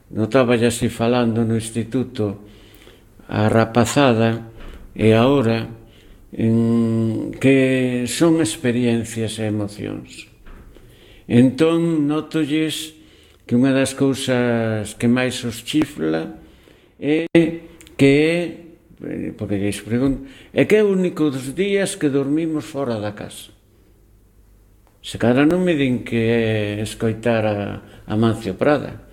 notaba así falando no instituto a rapazada e agora que son experiencias e emocións. Entón notolles que unha das cousas que máis os chifla é que porque lles pregunto, é que é o único dos días que dormimos fora da casa. Se cara non me din que é escoitar a Mancio Prada.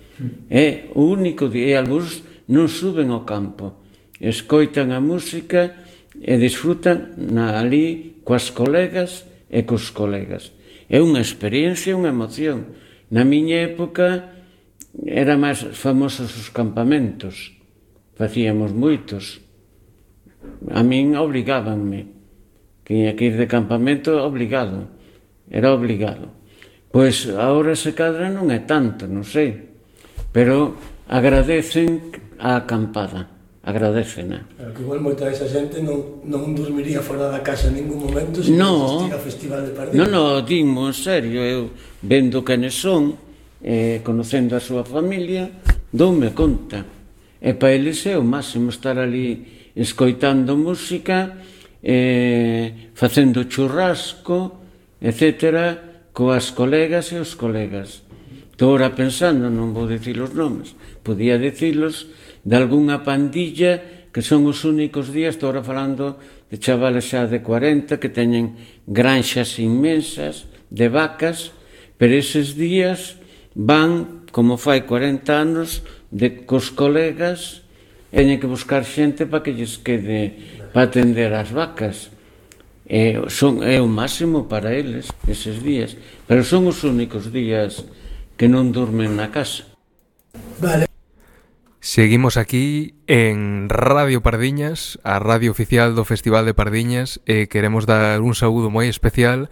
É o único día, e algúns non suben ao campo, escoitan a música e disfrutan ali coas colegas e cos colegas. É unha experiencia, unha emoción. Na miña época era máis famosos os campamentos, facíamos moitos. A min obrigábanme, que ia que ir de campamento obligado, era obligado. Pois agora se cadra non é tanto, non sei, pero agradecen a acampada, agradecena. Pero que igual moita desa xente non dormiría fora da casa en ningún momento se non existir a Festival de Pardiñas. Non, dimo en serio, eu vendo quenes son, conocendo a súa familia, doume conta. E para eles é o máximo estar ali escoitando música, facendo churrasco, etcétera, coas colegas e os colegas. Estou ora pensando, non vou dicir os nomes, podía dicilos de algunha pandilla que son os únicos días, estou ora falando de chavales xa de 40 que teñen granxas inmensas de vacas, pero eses días van, como fai 40 anos, cos colegas, teñen que buscar xente para que lles quede para atender as vacas. É o máximo para eles eses días, pero son os únicos días que non durmen na casa. Vale. Seguimos aquí en Radio Pardiñas, a radio oficial do Festival de Pardiñas, e queremos dar un saúdo moi especial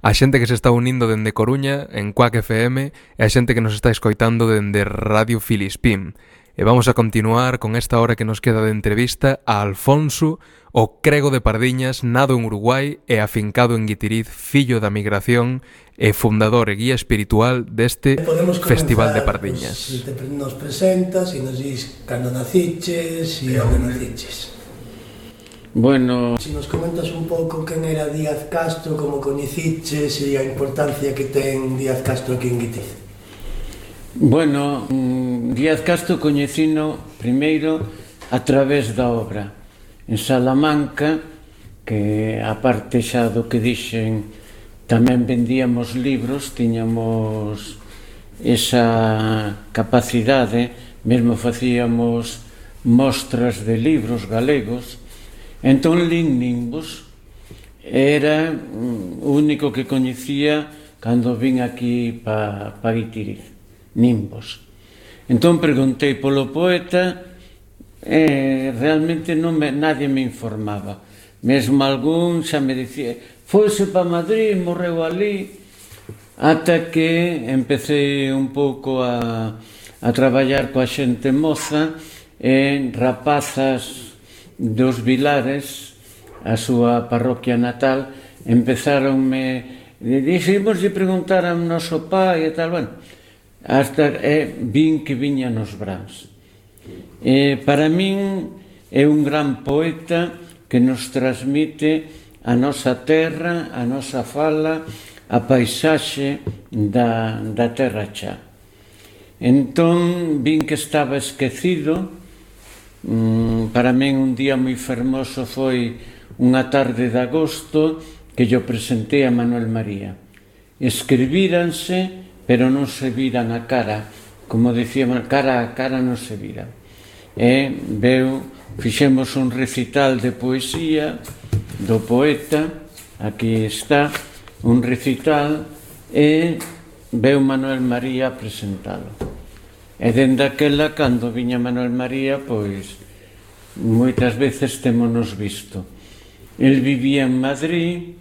a xente que se está unindo dende Coruña en Cuac FM e a xente que nos está escoitando dende Radio Filispín. E vamos a continuar con esta hora que nos queda de entrevista a Alfonso, o crego de Pardiñas, nado en Uruguai e afincado en Guitiriz, fillo da migración e fundador e guía espiritual deste Festival de Pardiñas. Se nos presentas e nos dis cando naciches e onde naciches. Bueno, se nos comentas un pouco quen era Díaz Castro, como coñeciches e a importancia que ten Díaz Castro aquí en Guitiriz. Bueno, Díaz Castro coñecino primeiro a través da obra. En Salamanca, que a parte xa do que dixen, tamén vendíamos libros, tiñamos esa capacidade, mesmo facíamos mostras de libros galegos. Entón, lin Nimbos, era o único que coñecía cando vin aquí pa Guitiriz. Nimbos. Entón preguntei polo poeta e realmente nadie me informaba. Mesmo algún xa me dicía foise pa Madrid, morreu ali, ata que empecé un pouco a traballar coa xente moza en rapazas dos Vilares, a súa parroquia natal, empezaronme, dixemos de preguntar ao noso pai e tal, bueno, hasta vin que viña nos Brans. Para min é un gran poeta que nos transmite a nosa terra, a nosa fala, a paisaxe da terra xa. Entón, vin que estaba esquecido. Para min un día moi fermoso foi unha tarde de agosto que yo presentei a Manuel María. Escribíranse, pero non se viran a cara, como dicíamos, cara a cara non se viran. Fixemos un recital de poesía do poeta, aquí está, un recital, e veu Manuel María a presentalo. E dende aquela, cando viña Manuel María, pois, moitas veces témonos visto. El vivía en Madrid,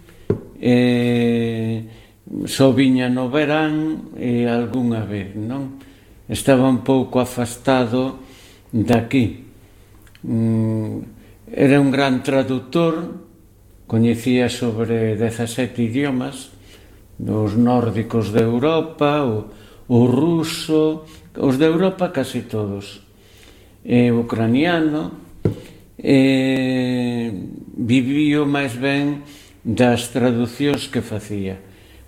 só viña no verán e algunha vez, non? Estaba un pouco afastado daqui. Era un gran traductor, coñecía sobre 17 idiomas, dos nórdicos de Europa, o ruso, Os de Europa casi todos. Ucraniano, vivío máis ben das traducións que facía.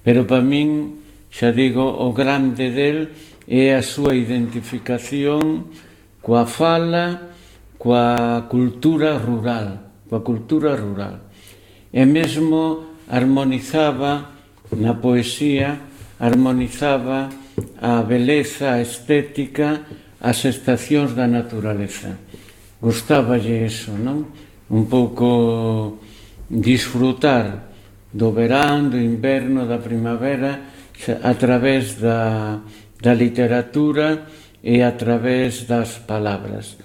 Pero para min, xa digo, o grande del é a súa identificación coa fala, coa cultura rural, E mesmo armonizaba na poesía, armonizaba a beleza, a estética, as estacións da naturaleza. Gustáballe eso, non? Un pouco disfrutar do verán, do inverno, da primavera, a través da literatura e a través das palabras.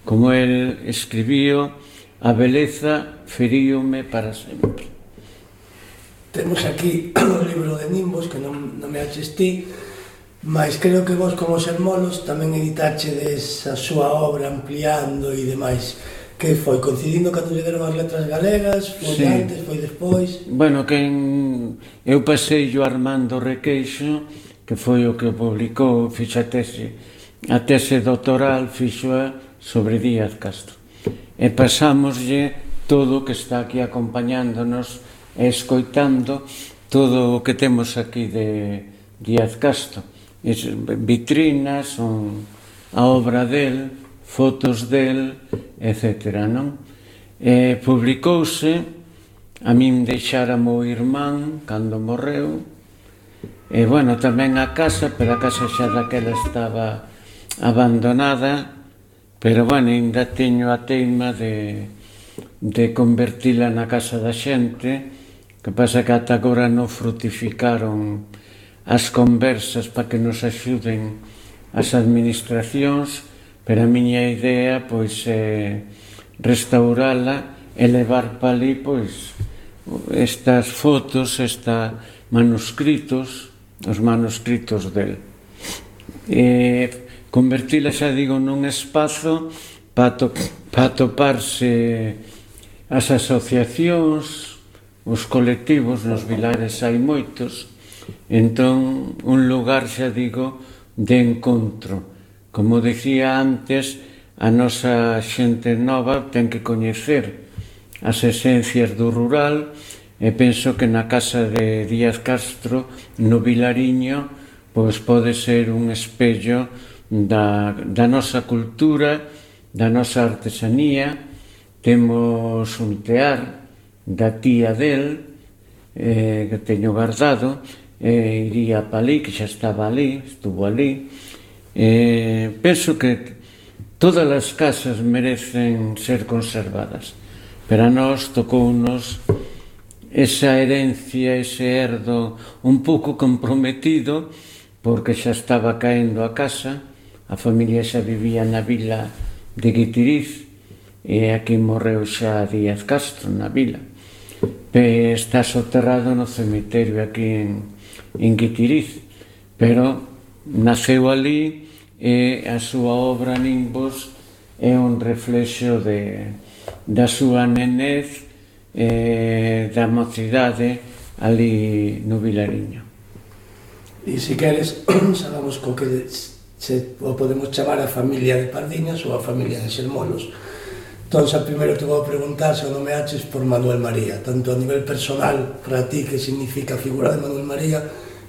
Como el escribiu, a beleza feríome para sempre. Temos aquí o libro de Nimbos, que non me achestí, mas creo que vos, como Sermolos, tamén editachedes a súa obra ampliando e demais. Que foi? Coincidindo cando lle deron as letras galegas? Foi antes, foi despois? Bueno, eu pasei o Armando Requeixo, que foi o que publicou, fixo a tese doctoral, fixoa sobre Díaz Castro. E pasámoslle todo o que está aquí acompañándonos e escoitando todo o que temos aquí de Díaz Castro. Vitrinas, a obra del, fotos del, etc. Non? Publicouse, a min deixara meu irmán cando morreu, e, bueno, tamén a casa, pero a casa xa daquela estaba abandonada, pero, bueno, ainda teño a teima de convertila na casa da xente, que pasa que ata agora non frutificaron as conversas para que nos axuden as administracións, pero a miña idea, pois, é restaurala e levar para ali, pois, estas fotos, estes manuscritos, os manuscritos del. Convertila, xa digo, nun espazo para atoparse as asociacións, os colectivos, nos vilares hai moitos, entón un lugar, xa digo, de encontro. Como dicía antes, a nosa xente nova ten que coñecer as esencias do rural, e penso que na casa de Díaz Castro, no Vilariño, pois pode ser un espello da nosa cultura, da nosa artesanía. Temos un tear da tía del, que teño guardado, iría para ali, que xa estaba ali, estuvo ali. Penso que todas as casas merecen ser conservadas, pero a nós tocounos esa herencia, ese herdo un pouco comprometido, porque xa estaba caendo a casa, a familia xa vivía na vila de Guitiriz, e aquí morreu xa Díaz Castro, na vila. Está soterrado no cemiterio aquí en Guitiriz, pero naceu ali, e a súa obra Nimbos é un reflexo da súa nenez, da mocidade ali no Vilariño. E se queres, sabamos co que o podemos chamar a familia de Pardiñas ou a familia de Sermolos. Entón, xa primeiro te vou preguntar se o nomeaches por Manuel María, tanto a nivel personal para ti, que significa a figura de Manuel María,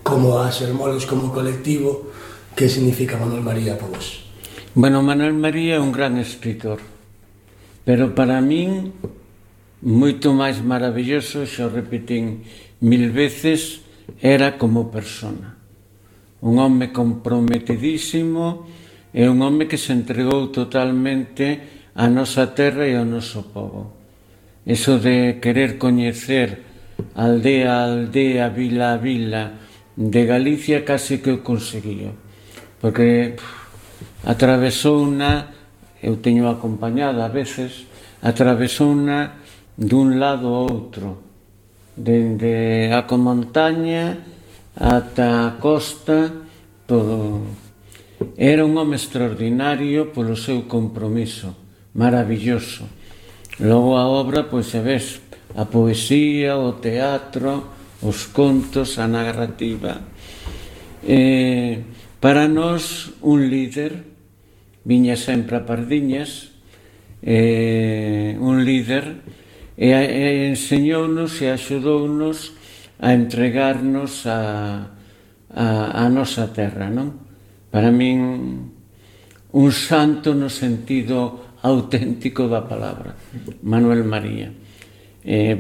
como a Sermolos como colectivo, que significa Manuel María para vos. Bueno, Manuel María é un gran escritor, pero para min moito máis maravilloso, xa o repetín 1000 veces, era como persona. Un home comprometidísimo, e un home que se entregou totalmente á nosa terra e ao noso povo. Eso de querer coñecer aldea a aldea, vila a vila de Galicia, casi que o conseguiu, porque atravesouna, eu teño acompañada a veces, atravesouna dun lado ao outro, dende a montaña ata a costa, todo. Era un home extraordinario polo seu compromiso, maravilloso. Logo a obra, pois, xa ves, a poesía, o teatro, os contos, a narrativa. Para nós, un líder, viña sempre a Pardiñas, un líder, e enseñounos e axudounos a entregarnos a nosa terra, non? Para min, un santo no sentido auténtico da palabra, Manuel María.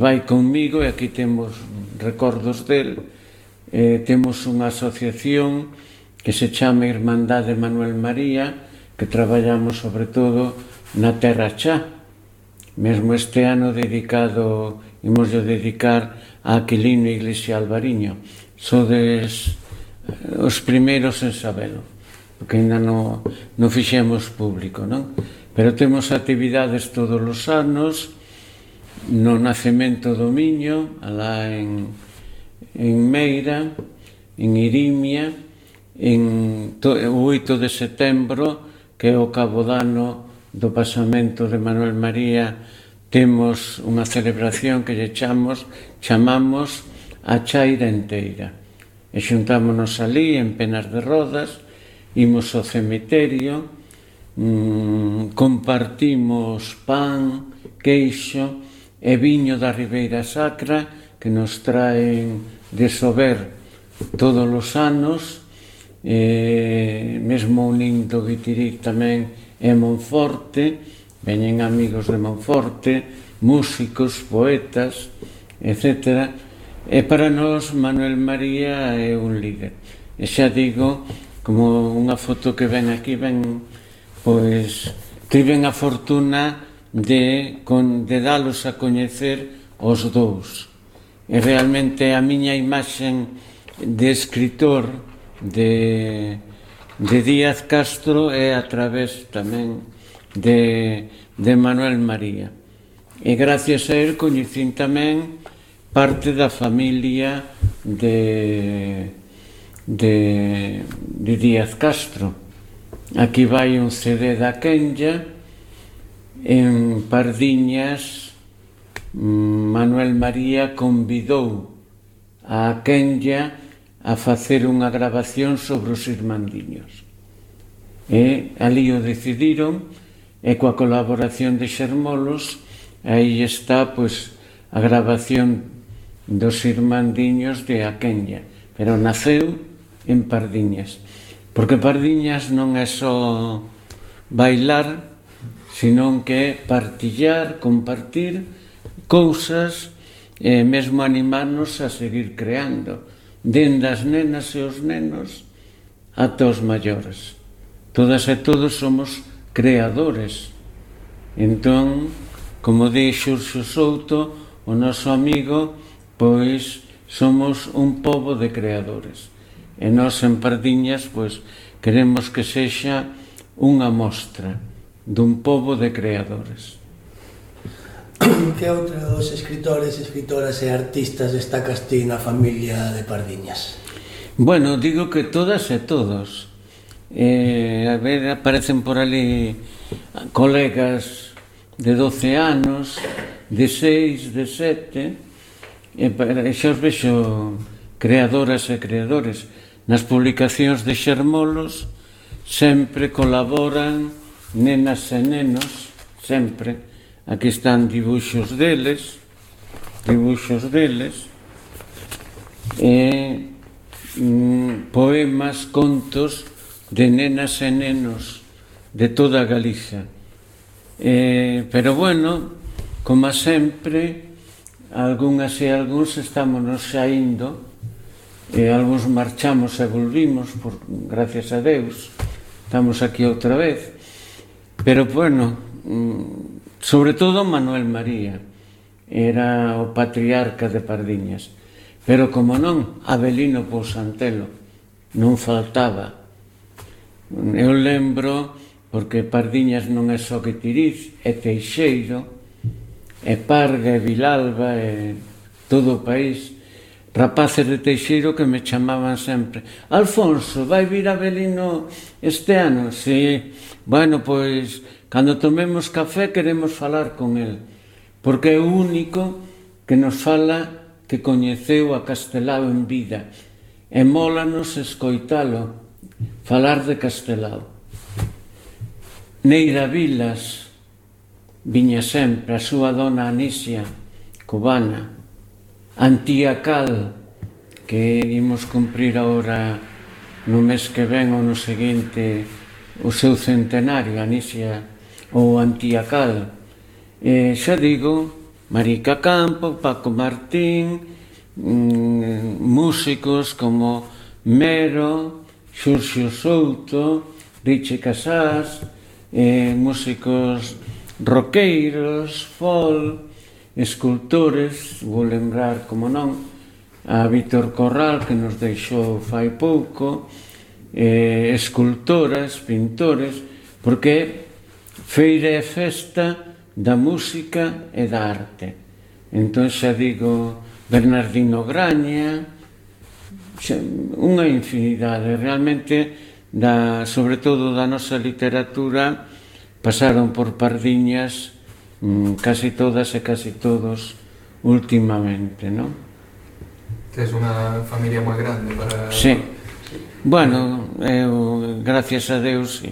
Vai conmigo, e aquí temos recordos del, temos unha asociación que se chama Irmandade Manuel María, que traballamos sobre todo na Terra Chá. Mesmo este ano imos dedicar a Aquilino Iglesia Alvariño. Sodes os primeiros en sabelo, porque ainda non fixemos público, non? Pero temos actividades todos os anos, no Nacemento do Miño, alá en Meira, en Irimia, o 8 de setembro, que é o cabodano do pasamento de Manuel María, temos unha celebración que lle chamamos a Chaira Enteira. E xuntámonos ali en Penas de Rodas, imos ao cemiterio, compartimos pan, queixo e viño da Ribeira Sacra, que nos traen de Sober todos os anos, mesmo unindo Guitiric tamén e Monforte, veñen amigos de Monforte, músicos, poetas, etc. E para nós Manuel María é un líder. E xa digo, como unha foto que ven aquí, pois tiven a fortuna de dalos a coñecer os dous. E realmente a miña imaxen de escritor de Díaz Castro é a través tamén de Manuel María. E gracias a él coñecín tamén parte da familia de Díaz Castro. Aquí vai un CD da Quenya. En Pardiñas, Manuel María convidou a Quenya a facer unha grabación sobre os irmandiños. E ali o decidiron, e coa colaboración de Xermolos, aí está, pois, a grabación dos irmandiños de a Quenya, pero naceu en Pardiñas, porque Pardiñas non é só bailar, senón que é partillar, compartir cousas, e mesmo animarnos a seguir creando, dende as nenas e os nenos ata os maiores. Todas e todos somos creadores. Entón, como di Xurxo Souto, o noso amigo, pois somos un pobo de creadores. E nós en Pardiñas, pois, queremos que sexa unha mostra dun pobo de creadores. Que outro dos escritores, escritoras e artistas destacas ti na familia de Pardiñas? Bueno, digo que todas e todos. A ver, aparecen por ali colegas de 12 anos, de 6, de 7, e xa os vexo creadoras e creadores. Nas publicacións de Xermolos sempre colaboran nenas e nenos, sempre. Aquí están dibuixos deles, e poemas, contos de nenas e nenos de toda Galicia. Pero bueno, como sempre, algunhas e algúns estámonos xa indo, e algúns marchamos e volvimos, gracias a Deus, estamos aquí outra vez. Pero bueno, sobre todo Manuel María era o patriarca de Pardiñas, pero como non, Avelino Pousantelo non faltaba. Eu lembro, porque Pardiñas non é só Guitiriz, é Teixeiro, é Parga, é Vilalba, é todo o país. Rapaces de Teixeiro que me chamaban sempre: Alfonso, vai vir Avelino este ano? Si. Bueno, pois, cando tomemos café queremos falar con el, porque é o único que nos fala que coñeceu a Castelao en vida, e mólanos escoitalo, falar de Castelao. Neira Vilas viña sempre, a súa dona Anisia, cubana, Antía Cal, que imos cumprir agora no mes que ven ou no seguinte o seu centenario, Anisia ou Antía Cal. Xa digo, Marica Campo, Paco Martín, músicos como Mero, Xurxo Souto, Riche Casás, músicos roqueiros, folk, escultores, vou lembrar, como non, a Víctor Corral, que nos deixou fai pouco, escultoras, pintores, porque feira e festa da música e da arte. Entón xa digo, Bernardino Graña, unha infinidade, realmente, sobre todo da nosa literatura, pasaron por Pardiñas casi todas e casi todos últimamente, non? Tes unha familia moi grande para... Sí. Bueno, eu, gracias a Deus,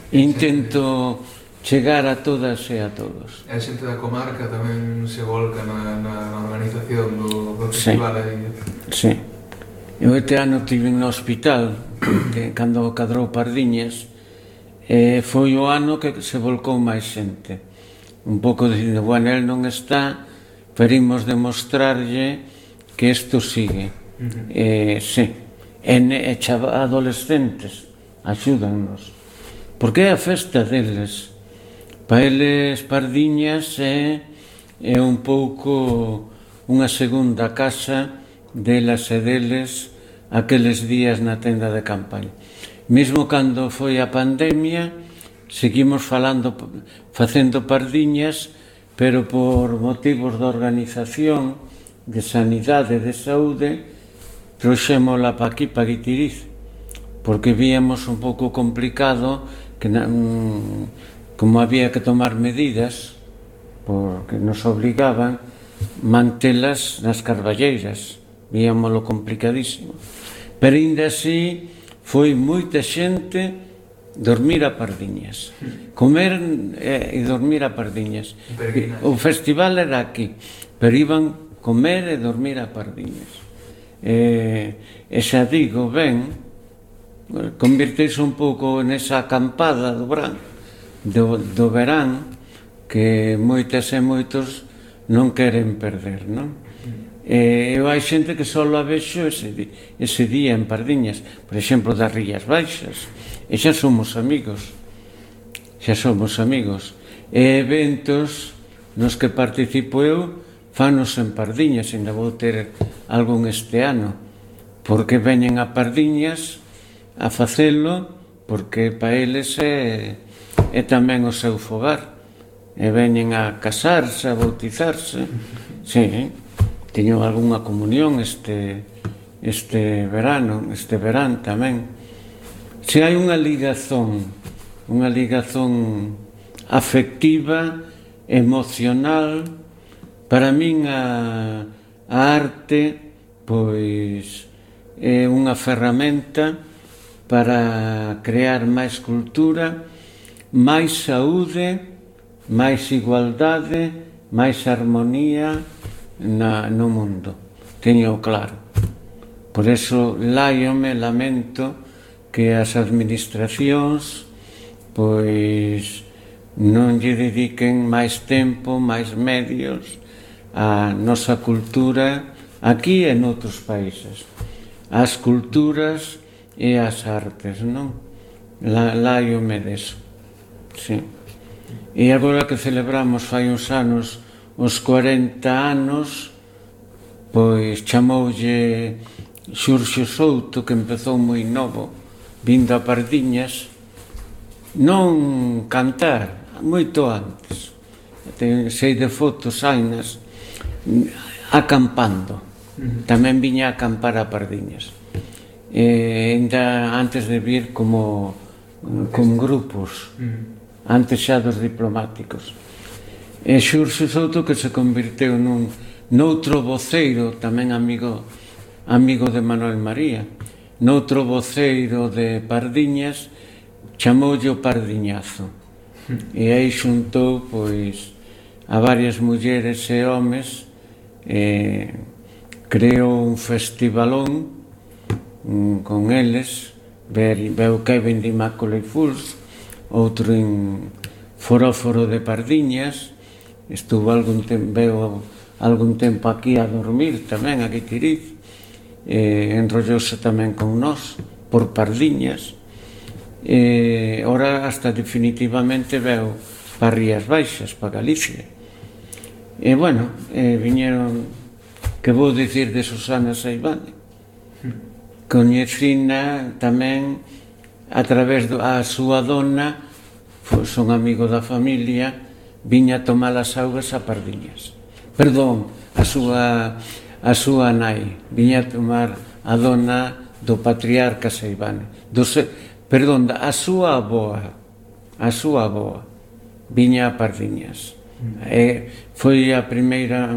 intento chegar a todas e a todos. A xente da comarca tamén se volca na organización do festival. Sí. Eu este ano estive no hospital, cando cadrou Pardiñas, foi o ano que se volcou máis xente. Un pouco dicindo, bueno, el non está, pero imos demostrarlle que isto sigue. Sí. E adolescentes axúdannos. Porque é a festa deles. Para eles, Pardiñas é un pouco unha segunda casa delas e deles aqueles días na tenda de campaña. Mesmo cando foi a pandemia, seguimos facendo Pardiñas, pero por motivos de organización, de sanidade e de saúde, trouxémola para aquí, para Guitiriz, porque víamos un pouco complicado que como había que tomar medidas, porque nos obligaban mantelas nas carballeiras, víamoslo complicadísimo. Pero ainda así foi moita xente dormir a Pardiñas, comer e dormir a Pardiñas. O festival era aquí, pero iban comer e dormir a Pardiñas. E xa digo, ben, convirteise un pouco nesa acampada do verán que moitas e moitos non queren perder, non? Eu hai xente que só a vexo ese día en Pardiñas, por exemplo, das Rías Baixas, e xa somos amigos. E eventos nos que participo eu fanos en Pardiñas, ainda vou ter algún este ano, porque veñen a Pardiñas a facelo, porque para eles é tamén o seu fogar, e veñen a casarse, a bautizarse. Sí, teño algunha comunión este verán tamén. Se hai unha ligazón afectiva, emocional, para min a arte pois é unha ferramenta para crear máis cultura, máis saúde, máis igualdade, máis armonía no mundo. Teño claro. Por eso lamento que as administracións pois non lle dediquen máis tempo, máis medios á nosa cultura aquí e noutros países, ás culturas e ás artes, non? Láiome deso, sí. E agora que celebramos fai uns anos os 40 anos, pois chamoulle Xurxo Souto, que empezou moi novo, vindo a Pardiñas, non cantar, moito antes. Sei de fotos, hainas, acampando. Tamén viña a acampar a Pardiñas. Ainda antes de vir con grupos, antes xa dos diplomáticos. E Xurxo Souto, que se convirteu noutro voceiro, tamén amigo de Manuel María. noutro voceiro de Pardiñas chamoulle o Pardiñazo, e aí xuntou pois a varias mulleres e homes, creou un festivalón con eles. Veu Kevin de Immaculate Fools, outro en Foróforo de Pardiñas, estuvo algún tempo aquí a dormir tamén, aquí Tiriz, enrollouse tamén con nós por Pardiñas, ora hasta definitivamente veu para Rías Baixas, para Galicia. E bueno, viñeron, que vou dicir de Susana Seivane, coñecina tamén a través da súa dona, son amigo da familia, viña a tomar as augas a Pardiñas. Perdón, a súa nai, viña a tomar a dona do patriarca Seivane. Perdón, a súa aboa, viña a Pardiñas. Foi a primeira...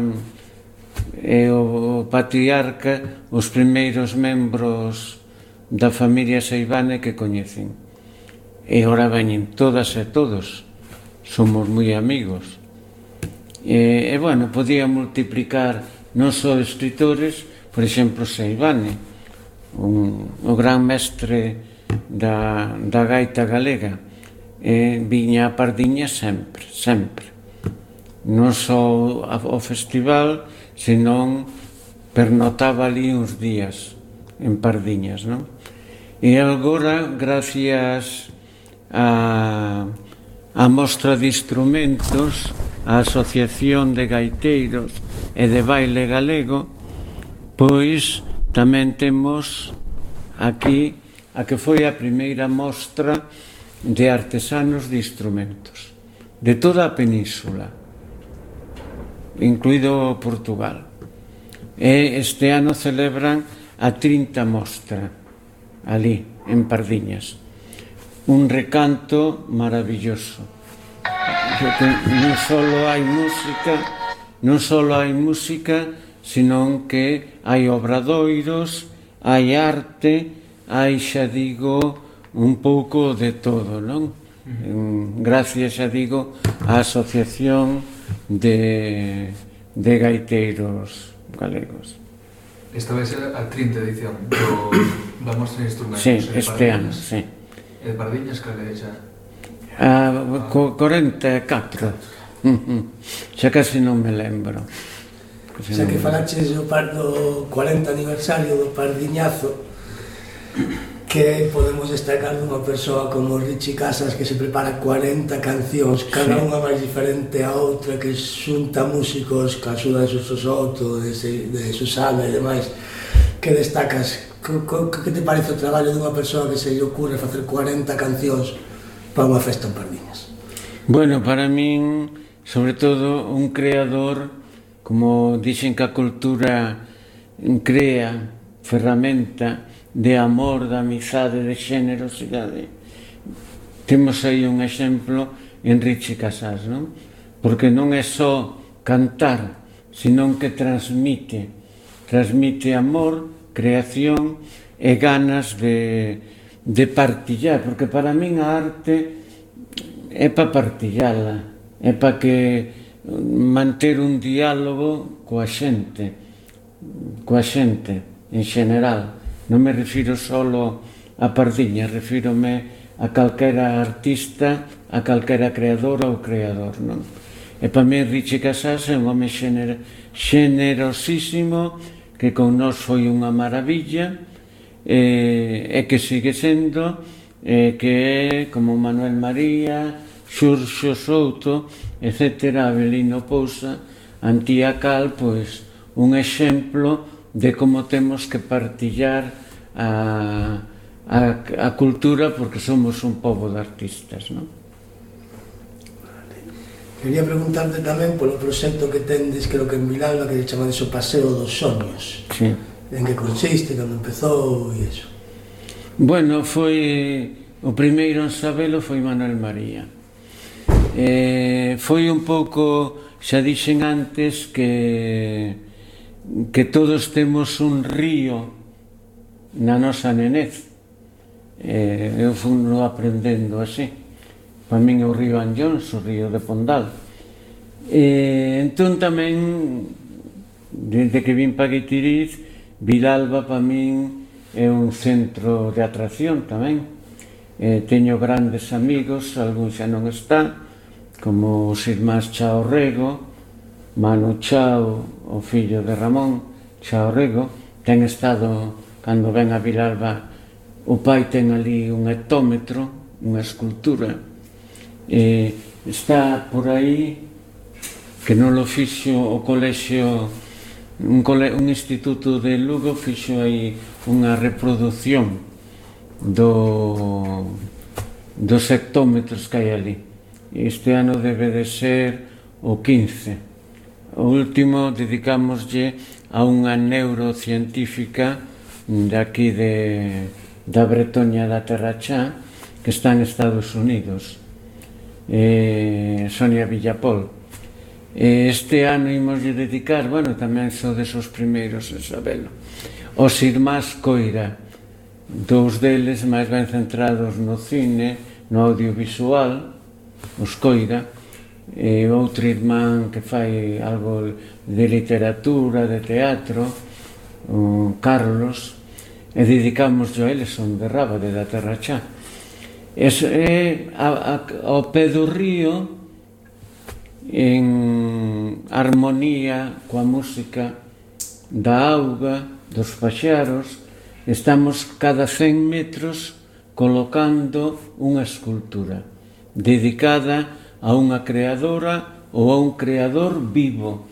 o patriarca, os primeiros membros da familia Seivane que coñecen, e ora veñen todas e todos, somos moi amigos, e bueno, podía multiplicar non só escritores, por exemplo Seivane, o gran mestre da gaita galega, viña a Pardiñas sempre, non só ao festival, senón pernotaba ali uns días en Pardiñas, non? E agora, gracias a mostra de instrumentos, a Asociación de Gaiteiros e de Baile Galego, pois tamén temos aquí a que foi a primeira mostra de artesanos de instrumentos de toda a península, incluído Portugal. E este ano celebran a 30 mostra ali, en Pardiñas. Un recanto maravilloso. Non só hai música, senón que hai obradoiros, hai arte, hai, xa digo, un pouco de todo, non? Gracias, xa digo, á Asociación de Gaiteiros Galegos. Esta vai ser a 30 edición da mostra de instrumentos. Sí, este ano, sí. E de Pardiñas, cal é xa? 44. Xa casi non me lembro. Xa que falaches do 40 aniversario do Pardiñazo, que podemos destacar dunha persoa como Richie Casas, que se prepara 40 cancións, cada unha máis diferente a outra, que xunta músicos, que axuda de Suso Soto, de Susana e demais. Que destacas? Que te parece o traballo dunha persoa que se lle ocurre facer 40 cancións para unha festa en Pardiñas? Bueno, para min, sobre todo, un creador, como dixen que a cultura crea ferramenta de amor, de amizade, de xenerosidade. Temos aí un exemplo en Richie Casas, non? Porque non é só cantar, senón que transmite amor, creación e ganas de partillar, porque para min a arte é para partillala, é para que manter un diálogo coa xente en xeneral. Non me refiro solo a Pardiñas, refírome a calquera artista, a calquera creadora ou creador, non? E para mí Richie Casas é un home xenerosísimo, que con nós foi unha maravilla, e que sigue sendo, que é como Manuel María, Xurxo Souto, etc., Avelino Pousa, Antía Cal, pois un exemplo de como temos que partillar a cultura, porque somos un pobo de artistas, non? Quería preguntarte tamén polo proxecto que tendes, creo que en Vilalba, que se chama de o Paseo dos Soños. Sí. En que consiste, cando empezou e iso? Bueno, o primeiro en sabelo foi Manuel María. Foi un pouco, xa dixen antes, que todos temos un río na nosa nenez. Eu fui aprendendo así. Para min é o río Anllóns, o río de Pondal. Entón tamén, desde que vim para Guitiriz, Vilalba para min é un centro de atracción tamén. Teño grandes amigos, algún xa non está, como os irmáns Chao Rego, Manu Chao, o fillo de Ramón Chao Rego. Ten estado, cando ven a Vilalba, o pai ten ali un hectómetro, unha escultura, está por aí, que non lo fixo o colexio, un instituto de Lugo fixo aí unha reproducción dos hectómetros que hai ali. Este ano debe de ser o 15. O último dedicámoslle a unha neurocientífica de aquí da Bretoña da Terra Chá, que está en Estados Unidos, Sonia Villapol. Este ano imoslle dedicar, bueno, tamén sodes os primeiros en sabelo, os irmáns Coira, dous deles máis ben centrados no cine, no audiovisual, os Coira, e outro irmán que fai algo de literatura, de teatro, o Carlos, e dedicamos a eles, son de Rábade da Terra Chá. Ao pé do río, en armonía coa música da auga, dos paxaros, estamos cada 100 metros colocando unha escultura dedicada a unha creadora ou a un creador vivo,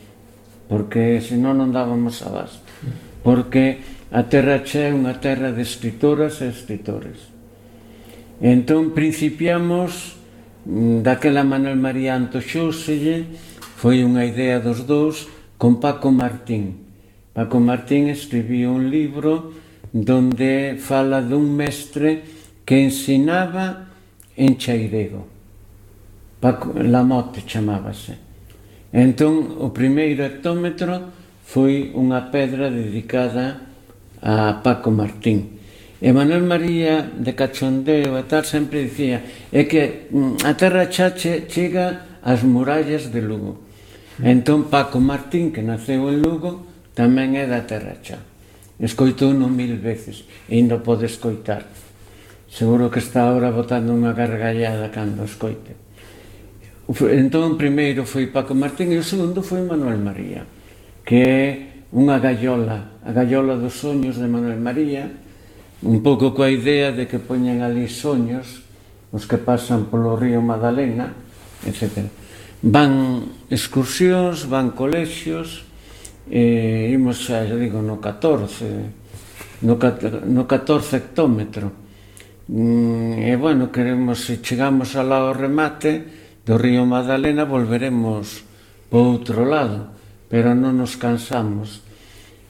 porque senón non dábamos abasto, porque a Terra Chá é unha terra de escritoras e escritores. Entón principiamos daquela Manuel María antoxóuselle, foi unha idea dos dous, con Paco Martín. Paco Martín escribiu un libro donde fala dun mestre que ensinaba en chairego. Lamote chamábase. Entón, o primeiro hectómetro foi unha pedra dedicada a Paco Martín. E Manuel María, de cachondeo e tal, sempre dicía é que a Terra Chá chega ás murallas de Lugo. Entón Paco Martín, que naceu en Lugo, tamén é da Terra Chá. Escoitouno 1000 veces e ainda pode escoitar. Seguro que está agora botando unha gargallada cando escoite. Entón o primeiro foi Paco Martín e o segundo foi Manuel María, que é unha gallola, a gallola dos soños de Manuel María, un pouco coa idea de que poñen ali soños os que pasan polo río Madalena, etc. Van excursións, van colexios, imos xa digo no 14 hectómetro, e bueno, queremos, se chegamos alá ao remate do río Madalena, volveremos po outro lado, pero non nos cansamos.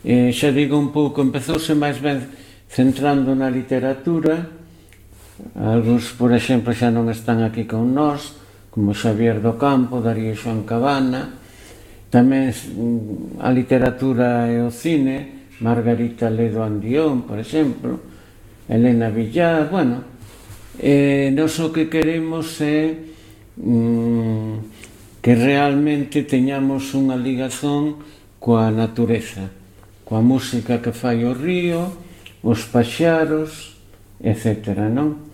Xa digo un pouco, empezouse máis ben centrando na literatura. Algúns, por exemplo, xa non están aquí con nós, como Xavier do Campo, Darío Xoán Cabana. Tamén a literatura e o cine, Margarita Ledo Andión, por exemplo, Elena Villar. Bueno, nós o que queremos é que realmente teñamos unha ligazón coa natureza, coa música que fai o río, os paxaros, etc. Non?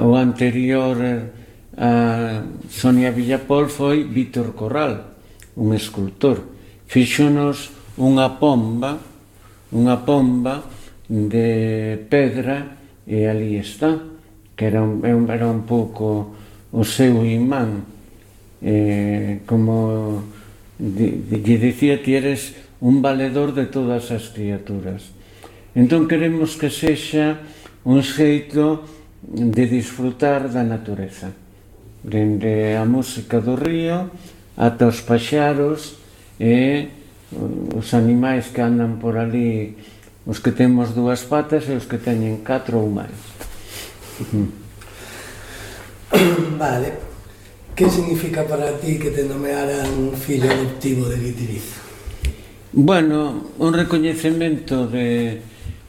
O anterior a Sonia Villapol foi Víctor Corral, un escultor. Fíxonos unha pomba de pedra, e ali está, que era un pouco o seu imán. Como lle dicía, ti eres un valedor de todas as criaturas. Entón queremos que sexa un xeito de disfrutar da natureza, dende a música do río ata os paxaros e os animais que andan por ali, os que temos 2 patas e os que teñen 4 ou máis. Vale. Que significa para ti que te nomearan un fillo adoptivo de Guitiriz? Bueno, un recoñecemento de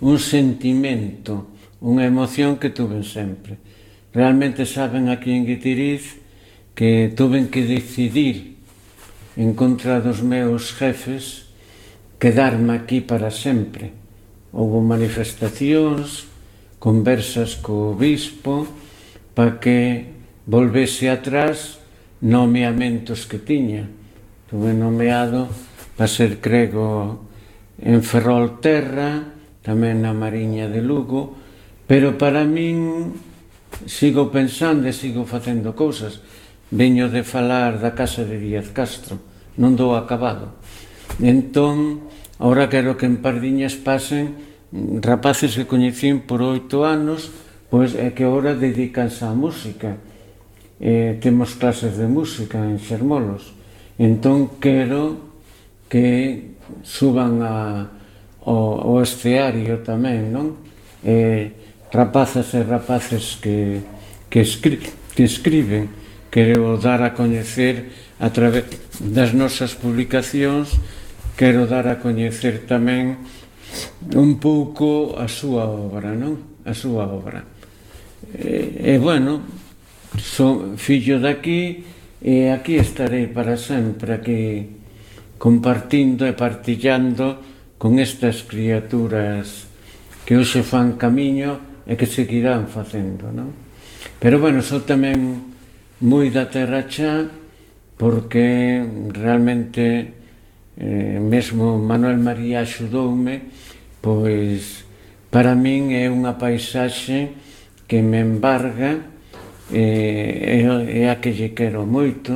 un sentimento, unha emoción que tuven sempre. Realmente saben aquí en Guitiriz que tuven que decidir en contra dos meus jefes quedarme aquí para sempre. Houve manifestacións, conversas co bispo para que volvese atrás nomeamentos que tiña. Tuve nomeado para ser crego en Ferrolterra, tamén na Mariña de Lugo, pero para min sigo pensando e sigo facendo cousas. Veño de falar da casa de Díaz Castro, non dou acabado. Entón, agora quero que en Pardiñas pasen rapaces que coñecín por 8 anos, pois é que agora dedícanse á música. Temos clases de música en Xermolos. Entón quero que suban ao escenario tamén, non? Rapazas e rapaces que escriben, quero dar a coñecer a través das nosas publicacións, quero dar a coñecer tamén un pouco a súa obra, non? A súa obra. Bueno, son fillo daqui e aquí estarei para sempre, aquí compartindo e partillando con estas criaturas que hoxe fan camiño e que seguirán facendo, non? Pero bueno, sou tamén moi da terra xa, porque realmente mesmo Manuel María axudoume, pois para min é unha paisaxe que me embarga e a que lle quero moito,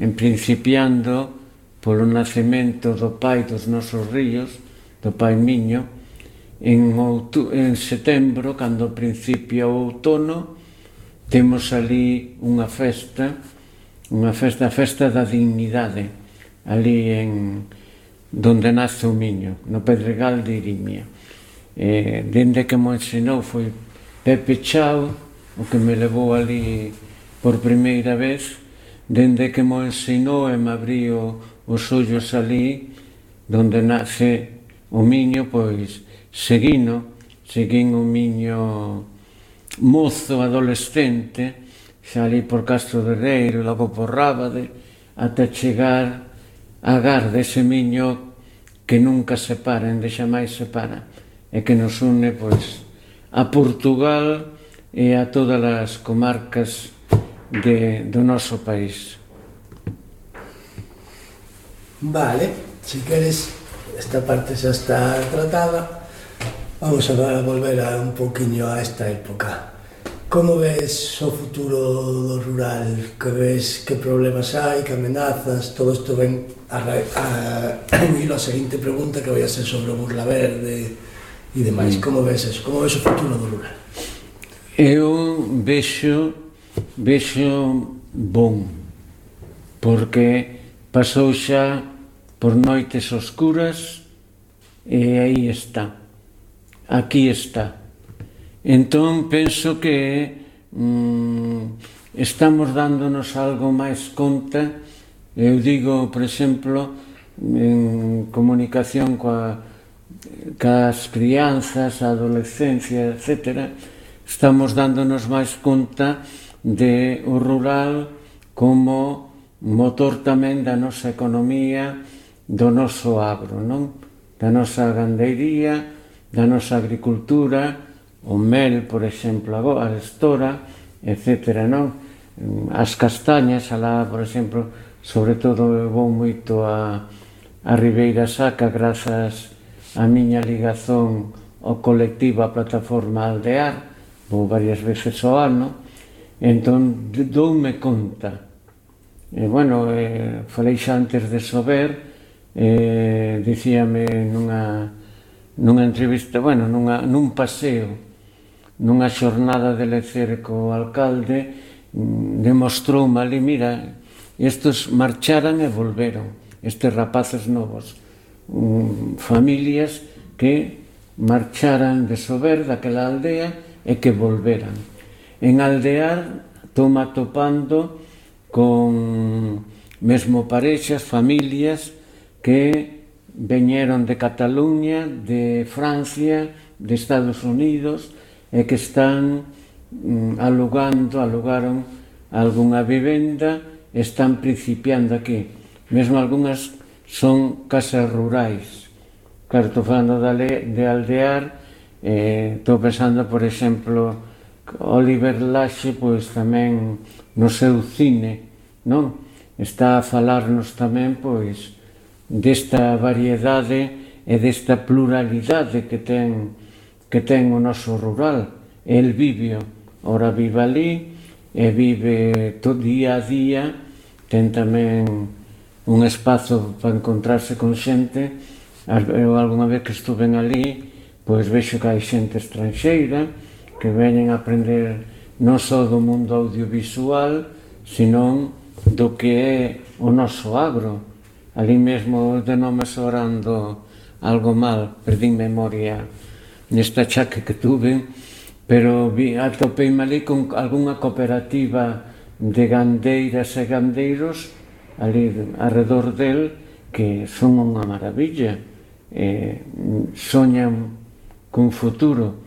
en principiando polo nacemento do pai dos nosos ríos, do pai miño, en setembro, cando principia o outono, temos ali unha festa, a festa da dignidade, ali donde nace o Miño, no Pedregal de Irimia. Dende que mo ensinou foi Pepe Chao, o que me levou ali por primeira vez, dende que mo ensinou e me abriu os ollos ali, donde nace o Miño, pois seguín o Miño mozo, adolescente, xa ali por Castro de Reiro, logo por Rábade, ata chegar a Garda, ese Miño que nunca se para, ende xamais se para, e que nos une, pois, a Portugal e a todas as comarcas do noso país. Vale, si queres, esta parte xa está tratada. Vamos a volver un poquinho a esta época. Como ves o futuro do rural? Que ves, que problemas hai, que amenazas? Todo isto ven a seguinte pregunta, que vai a ser sobre o Burla Verde e demais. Como ves eso? Como ves o futuro do rural? Eu vexo bon, porque pasou xa por noites oscuras e aí está. Aquí está. Entón, penso que estamos dándonos algo máis conta. Eu digo, por exemplo, en comunicación cas crianzas, a adolescencia, etc., estamos dándonos máis conta de o rural como motor tamén da nosa economía, do noso agro, non? Da nosa gandeiría, da nosa agricultura, o mel, por exemplo, a estora, etc., non? As castañas, alá, por exemplo, sobre todo eu vou moito a Ribeira Sacra grazas á miña ligazón ao colectivo, a plataforma Aldear, vou varias veces ao ano, entón doume conta. Bueno, falei xa antes de Sober, dicíame nunha entrevista, bueno, nun paseo, nunha xornada de lecer co alcalde, demostroume ali, mira, estes marcharan e volveron, estes rapaces novos, familias que marcharan de Sober, daquela aldea, e que volveran. En Aldear estou-me atopando con mesmo parexas, familias que veñeron de Cataluña, de Francia, de Estados Unidos e que están alugaron algunha vivenda, están principiando aquí. Mesmo algunhas son casas rurais. Claro, estou falando de aldear, estou pensando, por exemplo, Oliver Laxe, pois tamén no seu cine, non? Está a falarnos tamén, pois, desta variedade e desta pluralidade que ten o noso rural. El vive, ora vive ali, e vive todo día a día, ten tamén un espazo para encontrarse con xente. Eu algunha vez que estuve ali, pois vexo que hai xente estranxeira que veñen a aprender non só do mundo audiovisual, senón do que é o noso agro. Ali mesmo de non me sorando algo mal, perdín memoria nesta chaque que tuve, pero atopeime ali con algunha cooperativa de gandeiras e gandeiros ali arredor del, que son unha maravilla, soñan cun futuro.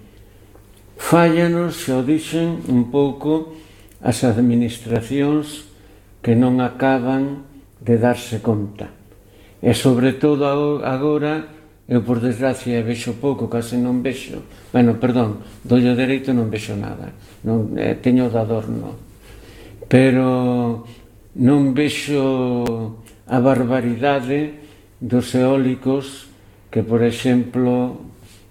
Fállanos, xa o dixen, un pouco as administracións que non acaban de darse conta. E sobre todo agora, eu por desgracia vexo pouco, case non vexo, do ollo dereito non vexo nada, teño de adorno, pero non vexo a barbaridade dos eólicos que, por exemplo,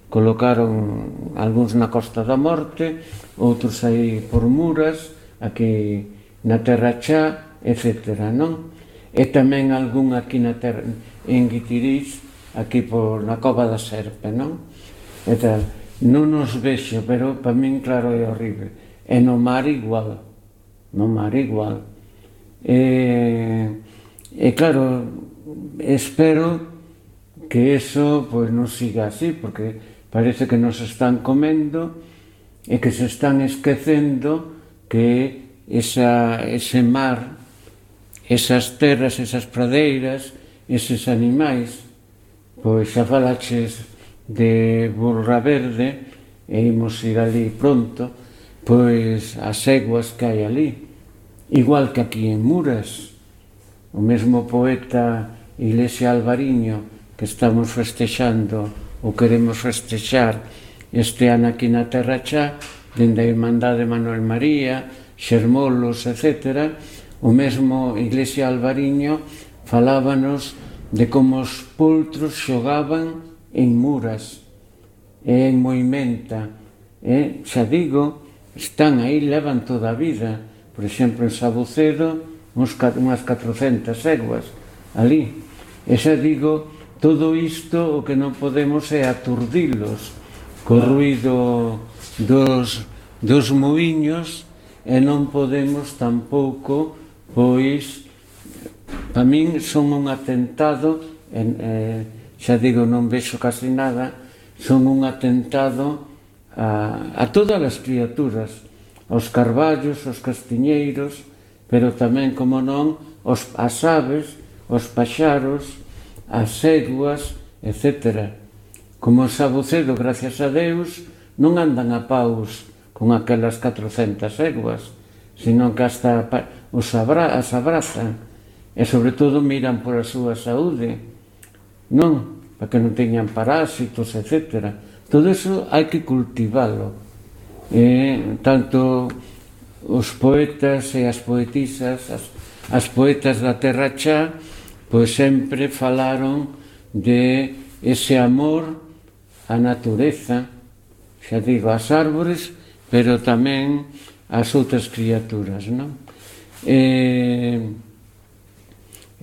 colocaron algúns na Costa da Morte, outros aí por Muras, aquí na Terra Chá, etc., non? E tamén algún aquí na terra, en Guitiriz, aquí na Cova da Serpe, non? E tal, non nos vexo, pero para min, claro, é horrible. E no mar igual, E claro, espero que eso pois non siga así, porque parece que nos están comendo e que se están esquecendo que ese mar, esas terras, esas pradeiras, eses animais, pois xa falaches de Burra Verde, e imos ir ali pronto, pois as eguas que hai ali, igual que aquí en Muras. O mesmo poeta Iglesia Alvariño, que estamos festexando ou queremos festexar este ano aquí na Terra Chá, dende a Irmandade Manuel María, Xermolos, etc., o mesmo Iglesia Alvariño falábanos de como os poltros xogaban en Muras e en Moimenta. Xa digo, están aí, levan toda a vida. Por exemplo, en Sabucedo, unhas 400 eguas ali. E xa digo, todo isto o que non podemos é aturdilos co ruído dos muiños, e non podemos tampouco, pois, para min son un atentado, xa digo, non vexo casi nada, son un atentado a todas as criaturas, aos carballos, aos castiñeiros, pero tamén, como non, as aves, os paxaros, as eguas, etc. Como o Sabucedo, gracias a Deus, non andan a paus con aquelas 400 eguas, senón que hasta as abrazan, e sobre todo miran por a súa saúde, non? Para que non teñan parásitos, etc. Todo iso hai que cultivalo. Tanto os poetas e as poetisas, as poetas da Terra Chá, pois sempre falaron de ese amor á natureza, xa digo, ás árbores, pero tamén ás outras criaturas, non?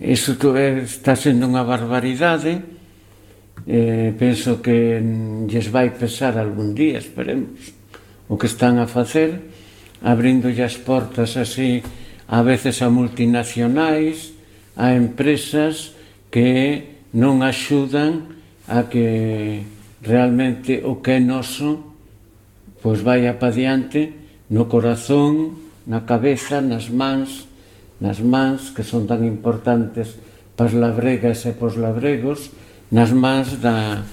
Iso está sendo unha barbaridade. Penso que lles vai pesar algún día, esperemos, o que están a facer, abrindolle as portas así a veces a multinacionais, a empresas que non axudan a que realmente o que é noso pois vaya pa diante no corazón, na cabeza, nas mans, que son tan importantes pas labregas e pos labregos, nas mans da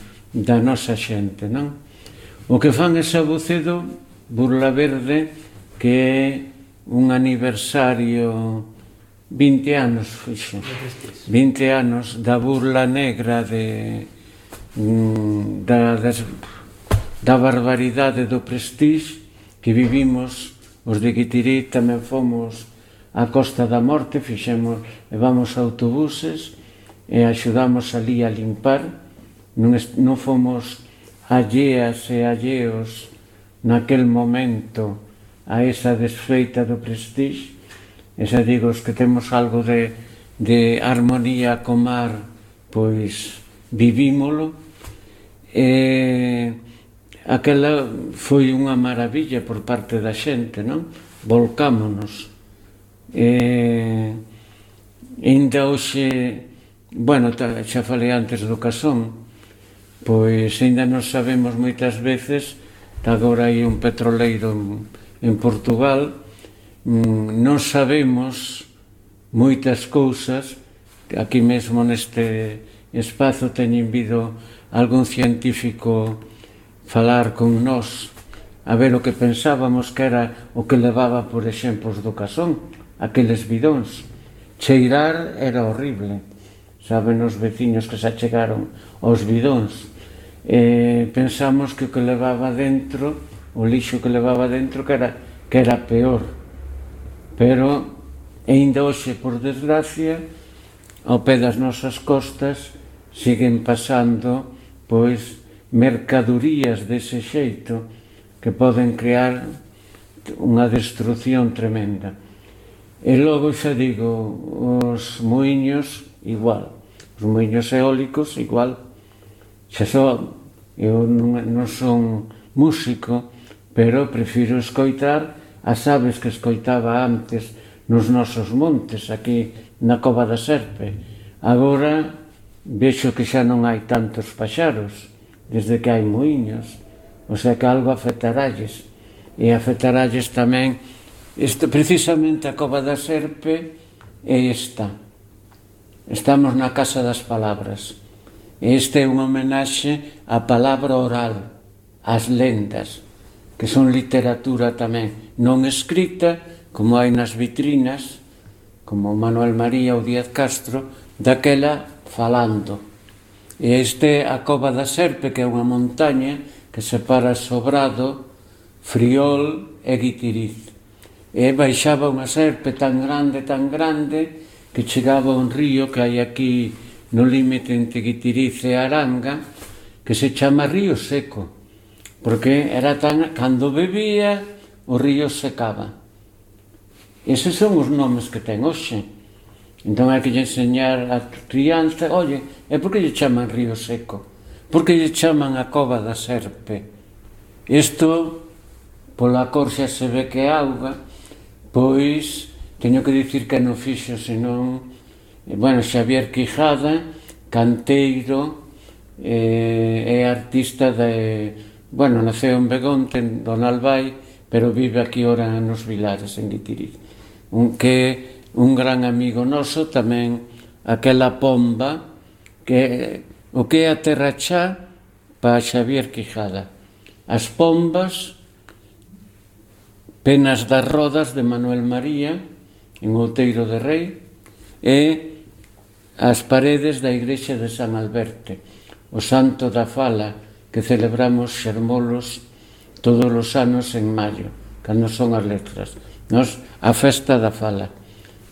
nosa xente, non? O que fan é Sabucedo Burla Verde, que é un aniversario 20 anos, fixo, 20 anos da burla negra da barbaridade do Prestige que vivimos os de Guitiriz. Tamén fomos á Costa da Morte, levamos autobuses e axudamos ali a limpar. Non fomos alleas e alleos naquel momento a esa desfeita do Prestige. E xa digo, os que temos algo de armonía co mar, pois vivímolo. Aquela foi unha maravilla por parte da xente, non? Volcámonos. Ainda hoxe, bueno, xa falei antes do Casón, pois ainda non sabemos moitas veces, agora hai un petroleiro en Portugal, non sabemos moitas cousas. Aquí mesmo neste espazo teñen vido algún científico falar con nós a ver o que pensábamos que era o que levaba, por exemplo, do Casón, aqueles bidóns. Cheirar era horrible, saben os veciños que se achegaron aos bidóns. Pensamos que o que levaba dentro, o lixo que levaba dentro, que era peor. Pero, aínda hoxe, por desgracia, ao pé das nosas costas, siguen pasando, pois, mercadorías dese xeito que poden crear unha destrucción tremenda. E logo, xa digo, os muiños, igual. Os muiños eólicos, igual. Xa só, eu non son músico, pero prefiro escoitar as aves que escoitaba antes nos nosos montes, aquí na Cova da Serpe. Agora vexo que xa non hai tantos paxaros, desde que hai muiños, o sea que algo afectaralles. E afectaralles tamén, precisamente a Cova da Serpe é esta. Estamos na Casa das Palabras. Este é unha homenaxe á palabra oral, ás lendas, que son literatura tamén, non escrita, como hai nas vitrinas, como Manuel María ou Díaz Castro, daquela falando. E este é a Cova da Serpe, que é unha montaña que separa Sobrado, Friol e Guitiriz. E baixaba unha serpe tan grande, que chegaba a un río que hai aquí no límite entre Guitiriz e Aranga, que se chama Río Seco, porque era tan, cando bebía, o río secaba. Eses son os nomes que ten hoxe. Entón hai que lle enseñar a crianza, oye, e por que lle chaman Río Seco? Por que lle chaman a Cova da Serpe? Isto, pola cor xa se ve que é auga, pois, teño que dicir que non fixo, senón, bueno, Xavier Quijada, canteiro, é artista bueno, naceu en Begonte, en Donalbai, pero vive aquí ora nos Vilares, en Guitiriz. Que é un gran amigo noso, tamén aquela pomba, que o que é a terra chá para Xavier Quijada. As pombas, Penas das Rodas de Manuel María, en Outeiro de Rei, e as paredes da igrexa de San Alberte, o Santo da Fala, que celebramos xermolos todos os anos en maio, cando son as letras. Nos, a festa da Fala,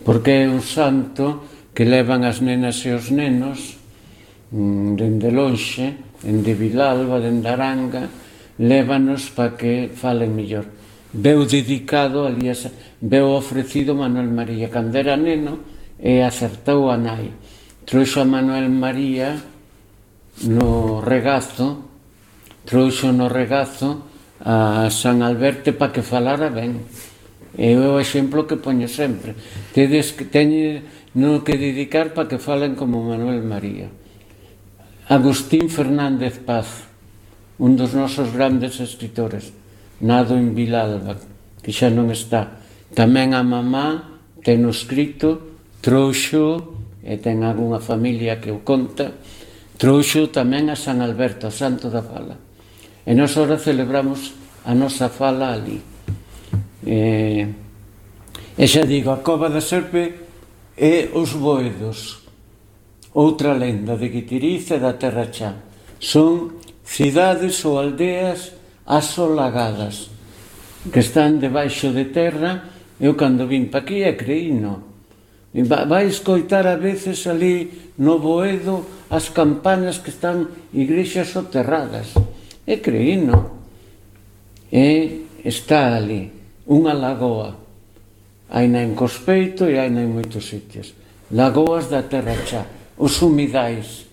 porque é un santo que levan as nenas e os nenos dende lonxe, dende Vilalba, dende Aranga, lévanos para que falen mellor. Veu dedicado, aliás, veu ofrecido Manuel María cando era neno e acertou a nai. Trouxo a Manuel María no regazo a San Alberte para que falara ben. É o exemplo que poño sempre. Teñen que dedicar para que falen como Manuel María. Agustín Fernández Paz, un dos nosos grandes escritores, nado en Vilalba, que xa non está. Tamén a mamá ten o escrito, trouxo, e ten algunha familia que o conta, trouxo tamén a San Alberto, a Santo da Fala. E nós ahora celebramos a nosa fala ali. E xa digo, a Cova da Serpe e os Boedos, outra lenda de Guitiriz e da Terra Chá. Son cidades ou aldeas asolagadas que están debaixo de terra. Eu cando vim pa aquí creíno. Vai escoitar a veces ali no Boedo as campanas que están igrexas soterradas. Creíno. E está ali unha lagoa. Haina en Cospeito e haina en moitos sitios. Lagoas da Terra Chá. Os humidais,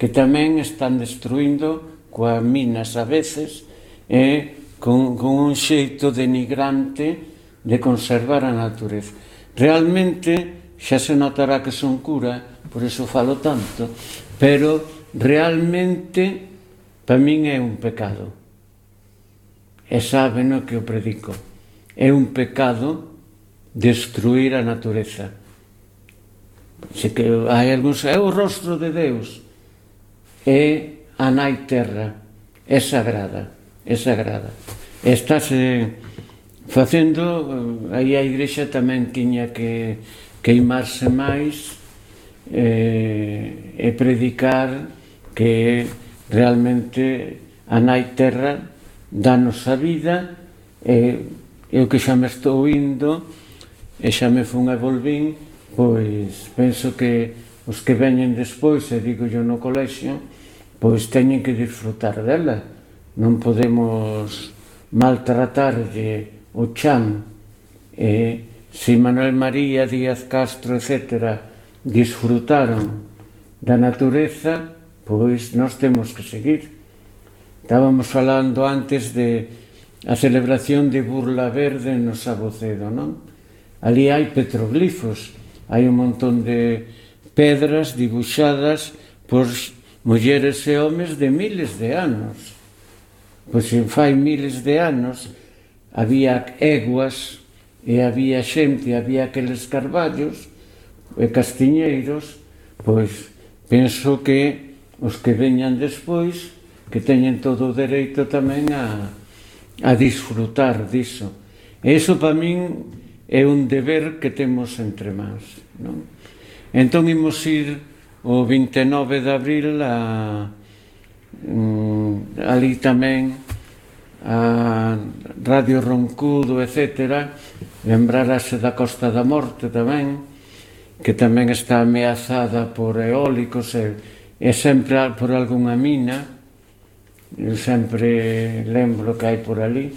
que tamén están destruindo coas minas a veces e con un xeito denigrante de conservar a natureza. Realmente, xa se notará que son cura, por iso falo tanto, pero realmente, para min é un pecado. E saben o que eu predico. É un pecado destruir a natureza. Se que hai algúns, é o rostro de Deus, é a nai terra, é sagrada, é sagrada. Estáse facendo, aí a Igrexa tamén tiña que queimarse máis e predicar que realmente a nai terra danos a vida. Eu que xa me estou indo e xa me fun e volvín, pois penso que os que veñen despois, e digo yo no colexio, pois teñen que disfrutar dela. Non podemos maltratarlle o chan. Se Manuel María, Díaz Castro, etc., disfrutaron da natureza, pois nós temos que seguir. Estábamos falando antes de a celebración de Burla Verde no Sabocedo, non? Ali hai petroglifos, hai un montón de pedras dibuixadas por mulleres e homes de miles de anos. Pois se fai miles de anos había eguas e había xente, había aqueles carballos e castiñeiros, pois penso que os que veñan despois que teñen todo o dereito tamén a disfrutar diso. E iso para min é un deber que temos entre mans, non? Entón imos ir o 29 de abril ali tamén a Radio Roncudo, etc., lembrarase da Costa da Morte tamén, que tamén está ameazada por eólicos e sempre por algunha mina. Eu sempre lembro que hai por ali.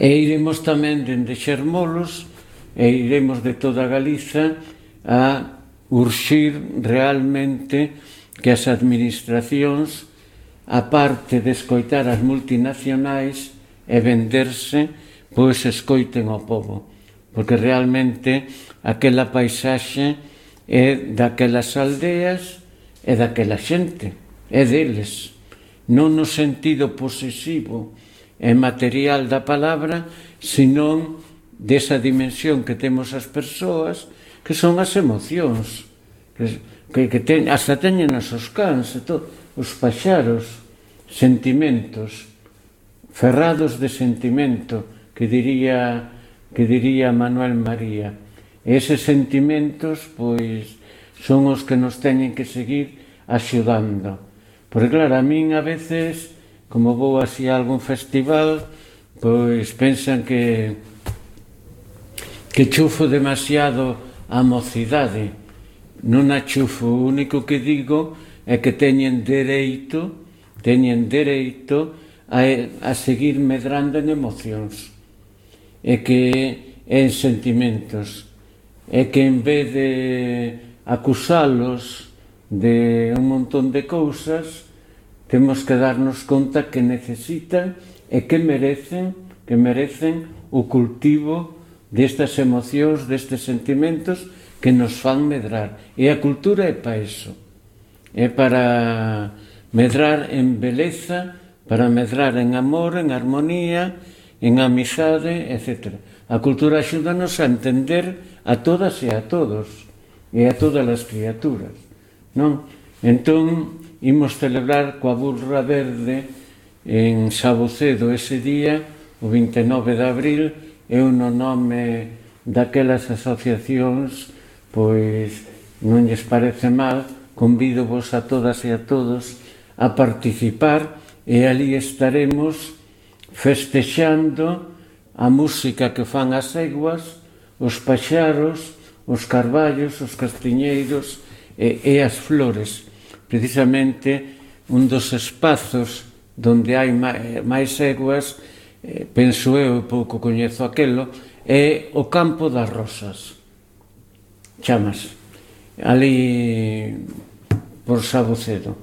E iremos tamén dende Xermolos e iremos de toda Galiza a urxir realmente que as administracións, a parte de escoitar as multinacionais e venderse, pois escoiten ao povo, porque realmente aquela paisaxe é daquelas aldeas e daquela xente, é deles, non no sentido posesivo e material da palabra, senón desa dimensión que temos as persoas, que son as emocións, que hasta teñen os cans, os paxaros, sentimentos, ferrados de sentimento, que diría Manuel María. E eses sentimentos, pois, son os que nos teñen que seguir axudando. Porque, claro, a min a veces, como vou así a algún festival, pois pensan que chufo demasiado a mocidade. Non a chufo, o único que digo é que teñen dereito a seguir medrando en emocións, e que en sentimentos, e que en vez de acusalos de un montón de cousas, temos que darnos conta que necesitan e que merecen o cultivo destas emocións, destes sentimentos que nos fan medrar. E a cultura é para iso, é para medrar en beleza, para medrar en amor, en armonía, en amizade, etc. A cultura axúdanos a entender a todas e a todos, e a todas as criaturas, non? Entón, imos celebrar coa Burla Verde en Sabucedo ese día, o 29 de abril, eu no nome daquelas asociacións, pois non lles parece mal, convido vos a todas e a todos a participar e ali estaremos festexando a música que fan as eguas, os paxaros, os carballos, os castiñeiros e as flores. Precisamente un dos espazos donde hai máis eguas, penso eu, pouco coñezo aquelo, é o Campo das Rosas, chamas, ali por Sabucedo.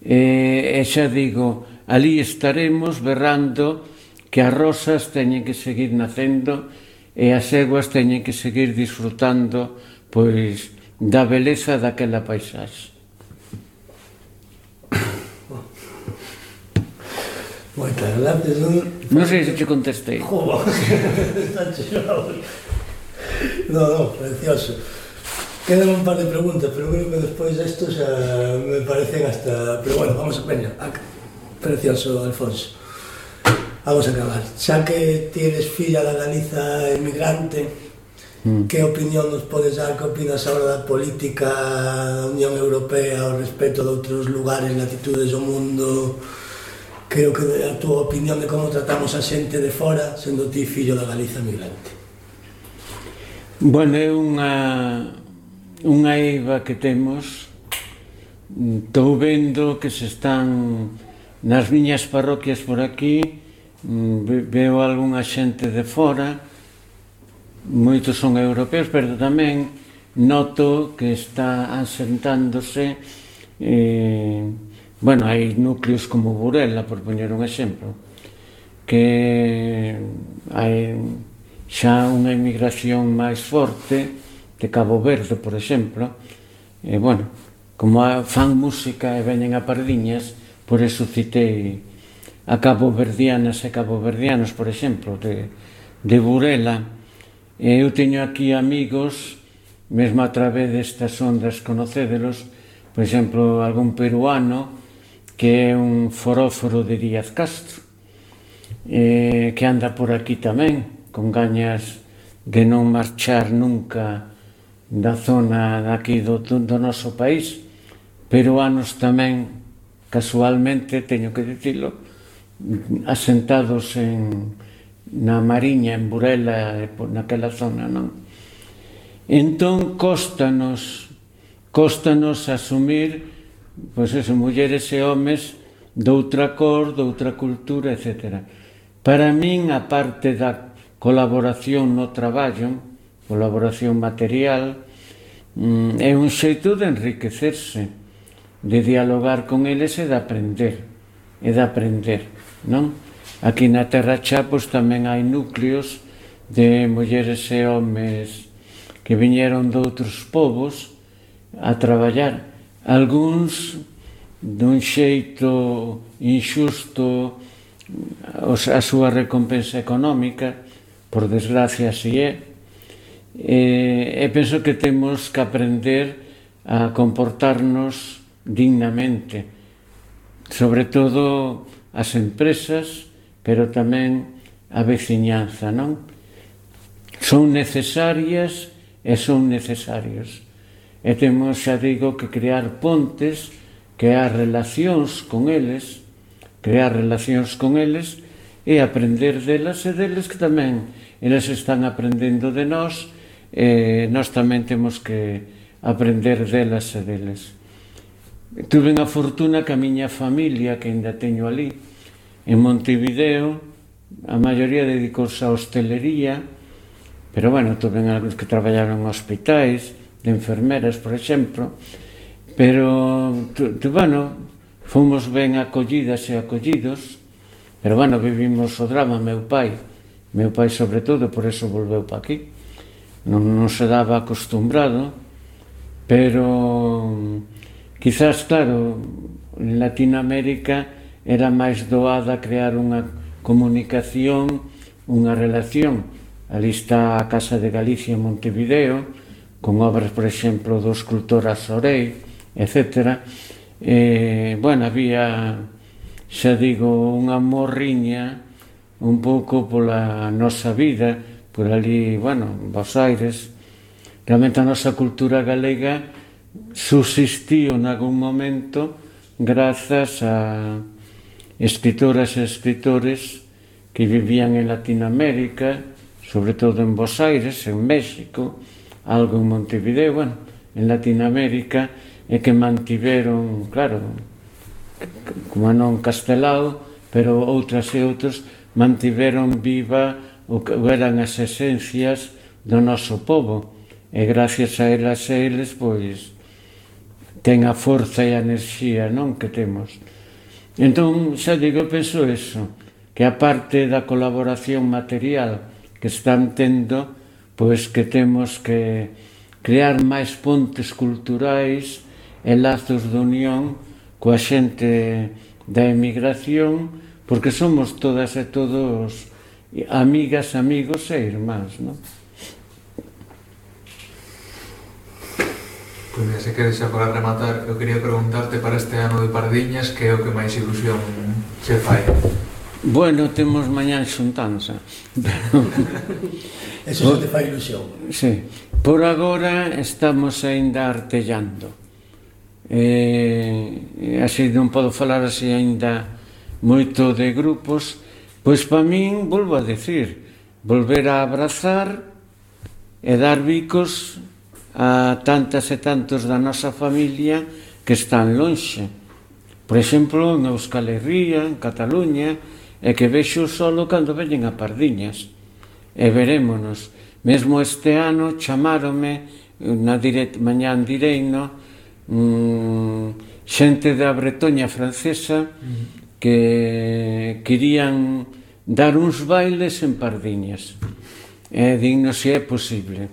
E xa digo, ali estaremos berrando que as rosas teñen que seguir nacendo e as eguas teñen que seguir disfrutando, pois, da beleza daquela paisaxe. Moitas gracias. Non sei se te contestei. Joder, está chorado. No, precioso. Quedan un par de preguntas, pero creo que despois desto xa me parecen hasta... Pero bueno, vamos a peña. Precioso, Alfonso. Vamos a acabar. Xa que tienes filla da Galiza emigrante, que opinión nos podes dar? Que opinas agora da política da Unión Europea ao respecto de outros lugares, latitudes do mundo? Creo que a túa opinión de como tratamos a xente de fora, sendo ti fillo da Galiza migrante. Bueno, é unha eiva que temos. Estou vendo que se están nas miñas parroquias por aquí, veo algunha xente de fora, moitos son europeos, pero tamén noto que está asentándose. Bueno, hai núcleos como Burela, por poñer un exemplo, que hai xa unha emigración máis forte de Cabo Verde, por exemplo, e, bueno, como fan música e veñen a Pardiñas, por eso citei a caboverdianas e caboverdianos, por exemplo, de Burela. Eu teño aquí amigos, mesmo a través destas ondas conocédelos, por exemplo, algún peruano que é un foróforo de Díaz Castro, que anda por aquí tamén, con gañas de non marchar nunca da zona daqui do noso país. Peruanos tamén, casualmente, teño que dicilo, asentados na Mariña, en Burela, naquela zona, non? Entón, cóstanos asumir, pois eso, mulleres e homes doutra cor, doutra cultura, etc. Para min, a parte da colaboración no traballo, colaboración material, é un xeito de enriquecerse, de dialogar con eles e de aprender, non? Aquí na Terra Chá, pois tamén hai núcleos de mulleres e homes que viñeron de outros povos a traballar, algúns dun xeito inxusto a súa recompensa económica, por desgracia así é, e penso que temos que aprender a comportarnos dignamente, sobre todo as empresas, pero tamén a veciñanza, non? Son necesarias e son necesarios. E temos, xa digo, que crear pontes, crear relacións con eles e aprender delas e deles que tamén eles están aprendendo de nós e nós tamén temos que aprender delas e deles. Tuve a fortuna que a miña familia, que ainda teño ali, en Montevideo, a maioría dedicouse a hostelería, pero, bueno, tuve algúns que traballaron en hospitais, de enfermeras, por exemplo, pero, bueno, fomos ben acollidas e acollidos, pero, bueno, vivimos o drama. Meu pai, sobre todo, por eso volveu pa aquí, non se daba acostumbrado, pero quizás, claro, en Latinoamérica era máis doada crear unha comunicación, unha relación. Ali está a Casa de Galicia en Montevideo, con obras, por exemplo, do escultor Azorei, etc. Bueno, había xa digo, unha morriña un pouco pola nosa vida, por ali, bueno, Bos Aires. Realmente a nosa cultura galega subsistiu en algún momento grazas a escritoras e escritores que vivían en Latinoamérica, sobre todo en Bos Aires, en México, algo en Montevideo, bueno, en Latinoamérica, e que mantiveron, claro, como non Castelao, pero outras e outros mantiveron viva o que eran as esencias do noso povo, e gracias a elas e eles, pois, ten a forza e a enerxía, non, que temos. Entón, xa digo, penso eso, que a parte da colaboración material que están tendo, pois que temos que crear máis pontes culturais e lazos de unión coa xente da emigración, porque somos todas e todos amigas, amigos e irmáns, non? Pois mira, se queres xa para rematar, eu quería preguntarte para este ano de Pardiñas que é o que máis ilusión se fai. Bueno, temos mañán xuntanza. Eso se te fai ilusión. Sí. Por agora estamos aínda artellando. Así non podo falar así aínda moito de grupos, pois para min, volvo a decir, volver a abrazar e dar bicos a tantas e tantos da nosa familia que están lonxe. Por exemplo, en Euskal Herria, en Cataluña, e que vexo solo cando veñen a Pardiñas. E verémonos. Mesmo este ano chamáronme na mañán direino xente da Bretoña francesa que querían dar uns bailes en Pardiñas. E digno se é posible.